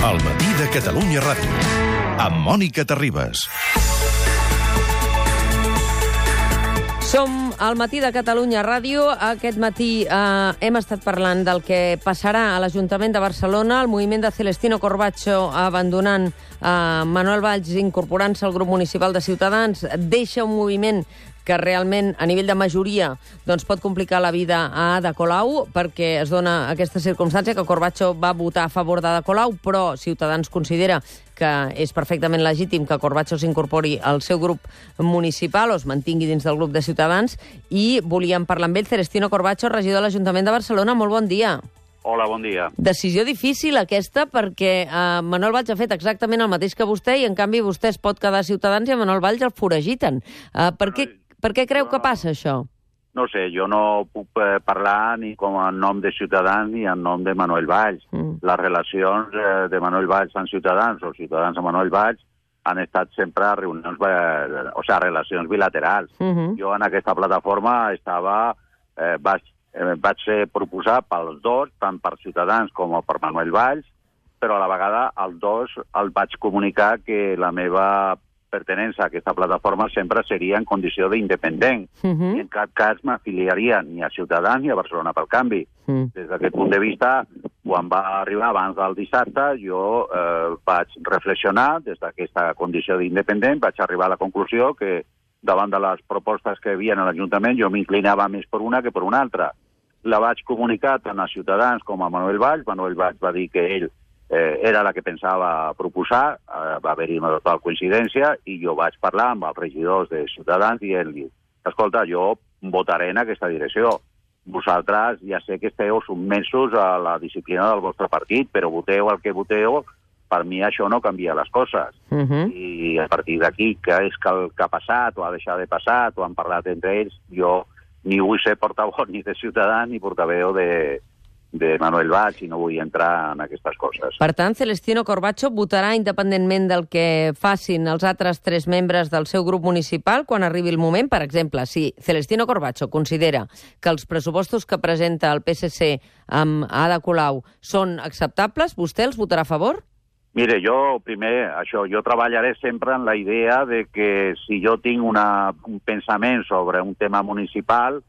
El matí de Catalunya Ràdio, amb Mònica Terribas. Som al matí de Catalunya Ràdio. Aquest matí hem estat parlant del que passarà a l'Ajuntament de Barcelona, el moviment de Celestino Corbacho abandonant Manuel Valls, incorporant-se al grup municipal de Ciutadans, deixa un moviment que realment, a nivell de majoria, doncs pot complicar la vida a Ada Colau, perquè es dona aquesta circumstància que Corbacho va votar a favor d'Ada Colau, però Ciutadans considera que és perfectament legítim que Corbacho s'incorpori al seu grup municipal o es mantingui dins del grup de Ciutadans, i volíem parlar amb ell. Celestino Corbacho, regidor de l'Ajuntament de Barcelona, molt bon dia. Hola, bon dia. Decisió difícil aquesta, perquè Manuel Valls ha fet exactament el mateix que vostè i, en canvi, vostè es pot quedar a Ciutadans i a Manuel Valls el foragiten. Per què creu que passa això? No sé, jo no puc parlar ni com en nom de Ciutadans ni en nom de Manuel Valls. Les relacions de Manuel Valls amb Ciutadans o Ciutadans amb Manuel Valls han estat sempre reunions, relacions bilaterals. Jo en aquesta plataforma vaig ser proposat pels dos, tant per Ciutadans com per Manuel Valls, però a la vegada els dos el vaig comunicar que la meva pertenença a aquesta plataforma sempre seria en condició d'independent. I en cap cas m'afiliaria ni a Ciutadans ni a Barcelona pel Canvi. Des d'aquest punt de vista, quan va arribar abans del dissabte, jo vaig reflexionar des d'aquesta condició d'independent, vaig arribar a la conclusió que davant de les propostes que hi havia a l'Ajuntament jo m'inclinava més per una que per una altra. La vaig comunicar tant a Ciutadans com a Manuel Valls. Manuel Valls va dir que ell era la que pensava proposar, va haver-hi una total coincidència, i jo vaig parlar amb els regidors de Ciutadans i ell diu: escolta, jo votaré en aquesta direcció. Vosaltres ja sé que esteu submersos a la disciplina del vostre partit, però voteu el que voteu, per mi això no canvia les coses. I a partir d'aquí, què és el que ha passat o ha deixat de passar, o han parlat entre ells, jo ni vull ser portaveu ni de Ciutadans ni portaveu de Manuel Valls, i no vull entrar en aquestes coses. Per tant, Celestino Corbacho votarà independentment del que facin els altres 3 membres del seu grup municipal quan arribi el moment. Per exemple, si Celestino Corbacho considera que els pressupostos que presenta el PSC amb Ada Colau són acceptables, vostè els votarà a favor? Mire, jo treballaré sempre en la idea de que si jo tinc un pensament sobre un tema municipal,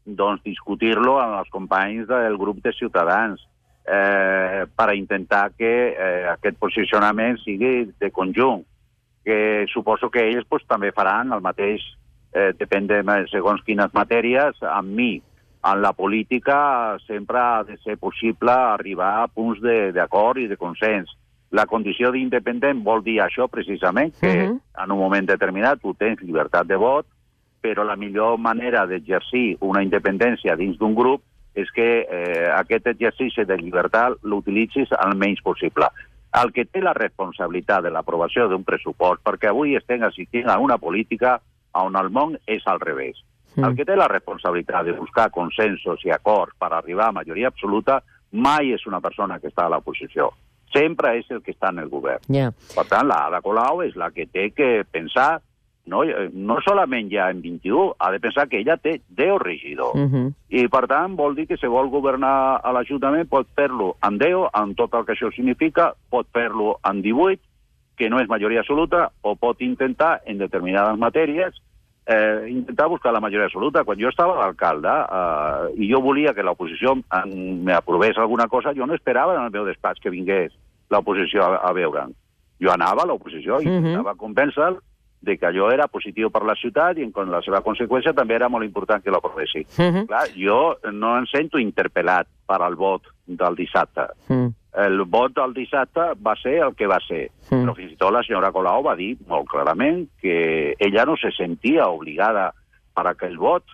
doncs discutir-lo amb els companys del grup de Ciutadans per intentar que aquest posicionament sigui de conjunt, que suposo que ells també faran el mateix, depèn de segons quines matèries, amb mi. En la política sempre ha de ser possible arribar a punts d'acord i de consens. La condició d'independent vol dir això precisament, que en un moment determinat tu tens llibertat de vot, però la millor manera d'exercir una independència dins d'un grup és que aquest exercici de llibertat l'utilitzis el menys possible. El que té la responsabilitat de l'aprovació d'un pressupost, perquè avui estem assistint a una política on el món és al revés. El que té la responsabilitat de buscar consensos i acords per arribar a majoria absoluta mai és una persona que està a l'oposició. Sempre és el que està en el govern. Per tant, l'Ada Colau és la que té que pensar, no solament ja en 21, ha de pensar que ella té 10 regidors. I, per tant, vol dir que si vol governar a l'Ajuntament pot fer-lo en 10, amb tot el que això significa, pot fer-lo en 18, que no és majoria absoluta, o pot intentar, en determinades matèries, intentar buscar la majoria absoluta. Quan jo estava d'alcalde i jo volia que l'oposició m'aprovés alguna cosa, jo no esperava en el meu despatx que vingués l'oposició a veure'm. Jo anava a l'oposició i intentava convèncer de que allò era positiu per la ciutat i en la seva conseqüència també era molt important que l'aprovessi. Clar, jo no em sento interpel·lat per al vot del dissabte. El vot del dissabte va ser el que va ser. Però fins i tot la senyora Colau va dir molt clarament que ella no se sentia obligada per aquell vot.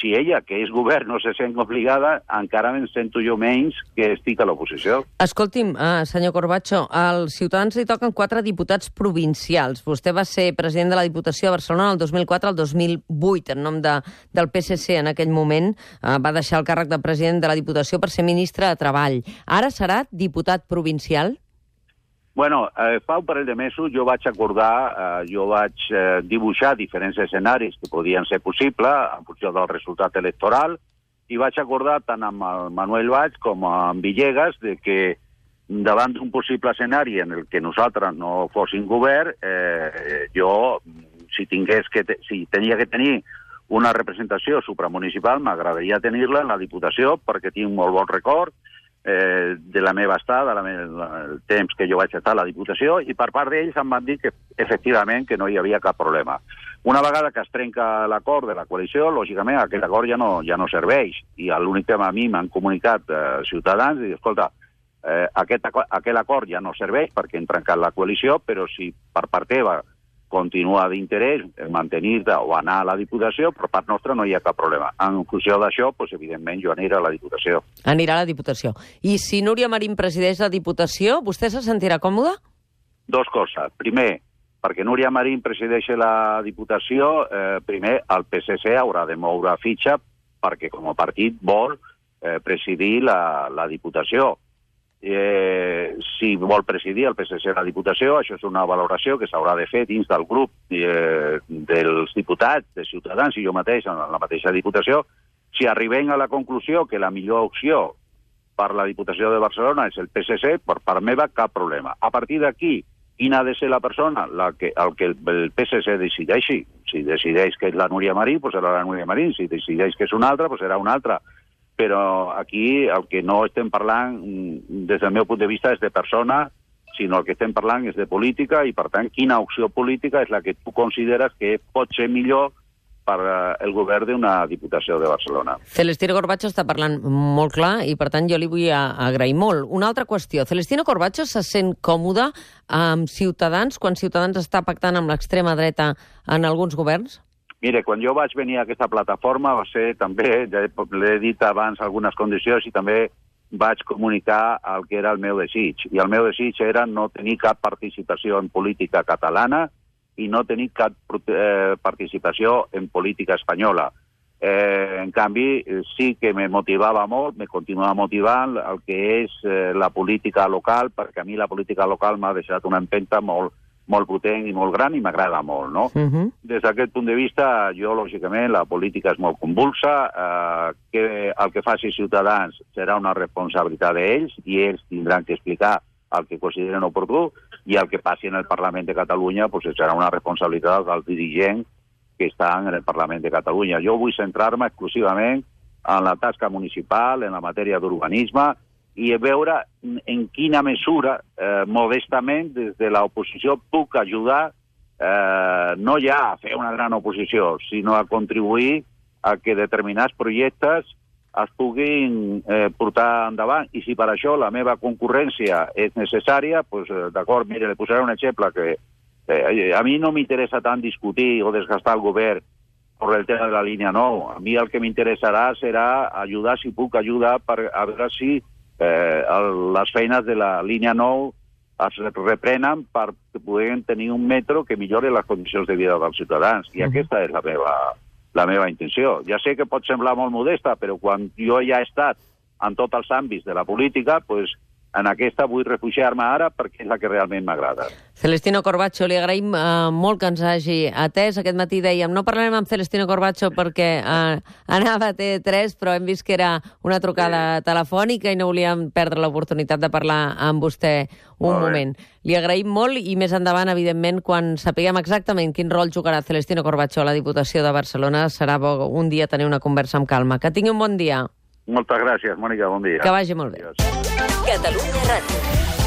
Si ella, que és govern, no se sent obligada, encara me'n sento jo menys que estic a l'oposició. Escolti'm, senyor Corbacho, als Ciutadans li toquen 4 diputats provincials. Vostè va ser president de la Diputació de Barcelona del 2004 al 2008, en nom del PSC en aquell moment. Va deixar el càrrec de president de la Diputació per ser ministre de Treball. Ara serà diputat provincial? Bueno, fa un parell de mesos jo vaig acordar, jo vaig dibuixar diferents escenaris que podien ser possibles en funció del resultat electoral, i vaig acordar tant amb el Manuel Valls com amb Villegas de que davant d'un possible escenari en el que nosaltres no fóssim govern, jo, si tenia que tenir una representació supramunicipal, m'agradaria tenir-la en la Diputació, perquè tinc molt bon record de la meva estada, el temps que jo vaig estar a la Diputació, i per part d'ells em van dir que, efectivament, que no hi havia cap problema. Una vegada que es trenca l'acord de la coalició, lògicament, aquest acord ja no serveix, i l'únic que a mi m'han comunicat Ciutadans, i escolta, aquell acord ja no serveix perquè hem trencat la coalició, però si per part teva continua d'interès mantenir-te o anar a la Diputació, per part nostra no hi ha cap problema. En funció d'això, evidentment, jo aniré a la Diputació. Anirà a la Diputació. I si Núria Marín presideix la Diputació, vostè se sentirà còmode? Dos coses. Primer, perquè Núria Marín presideixi la Diputació, primer, el PSC haurà de moure fitxa perquè com a partit vol presidir la Diputació. Si vol presidir el PSC la Diputació, això és una valoració que s'haurà de fer dins del grup dels diputats, de Ciutadans i jo mateix, en la mateixa Diputació. Si arribem a la conclusió que la millor opció per la Diputació de Barcelona és el PSC, per part meva cap problema. A partir d'aquí, quina ha de ser la persona el que el PSC decideixi. Si decideix que és la Núria Marín, doncs serà la Núria Marín. Si decideix que és una altra, doncs serà una altra. Però aquí el que no estem parlant, des del meu punt de vista, és de persona, sinó el que estem parlant és de política i, per tant, quina opció política és la que tu consideres que pot ser millor per el govern d'una Diputació de Barcelona. Celestino Corbacho està parlant molt clar i, per tant, jo li vull agrair molt. Una altra qüestió. Celestino Corbacho se sent còmode amb Ciutadans quan Ciutadans està pactant amb l'extrema dreta en alguns governs? Mire, quan jo vaig venir a aquesta plataforma va ser també, l'he dit abans algunes condicions i també vaig comunicar el que era el meu desig. I el meu desig era no tenir cap participació en política catalana i no tenir cap participació en política espanyola. En canvi, sí que me motivava molt, me continua motivant el que és la política local, perquè a mi la política local m'ha deixat una empenta molt potent i molt gran i m'agrada molt, no? Des d'aquest punt de vista, jo, lògicament, la política és molt convulsa, que el que faci Ciutadans serà una responsabilitat d'ells i ells tindran que explicar el que consideren oportú i el que passi en el Parlament de Catalunya serà una responsabilitat dels dirigents que estan en el Parlament de Catalunya. Jo vull centrar-me exclusivament en la tasca municipal, en la matèria d'urbanisme, i veure en quina mesura, modestament, des de l'oposició puc ajudar no ja a fer una gran oposició, sinó a contribuir a que determinats projectes es puguin portar endavant. I si per això la meva concurrència és necessària, doncs d'acord, mire, li posaré un exemple que a mi no m'interessa tant discutir o desgastar el govern per el tema de la línia 9. A mi el que m'interessarà serà ajudar, si puc ajudar, a veure si les feines de la línia 9 es reprenen perquè puguem tenir un metro que millori les condicions de vida dels ciutadans. I aquesta és la meva intenció. Ja sé que pot semblar molt modesta, però quan jo ja he estat en tots els àmbits de la política, doncs en aquesta vull refugiar-me ara perquè és la que realment m'agrada. Celestino Corbacho, li agraïm molt que ens hagi atès. Aquest matí dèiem, no parlarem amb Celestino Corbacho perquè anava a TV3, però hem vist que era una trucada telefònica i no volíem perdre l'oportunitat de parlar amb vostè un moment. Li agraïm molt i més endavant, evidentment, quan sapiguem exactament quin rol jugarà Celestino Corbacho a la Diputació de Barcelona, serà bo un dia tenir una conversa amb calma. Que tingui un bon dia. Moltes gràcies, Mònica, bon dia. Que vagi molt bé. Catalunya Ràdio.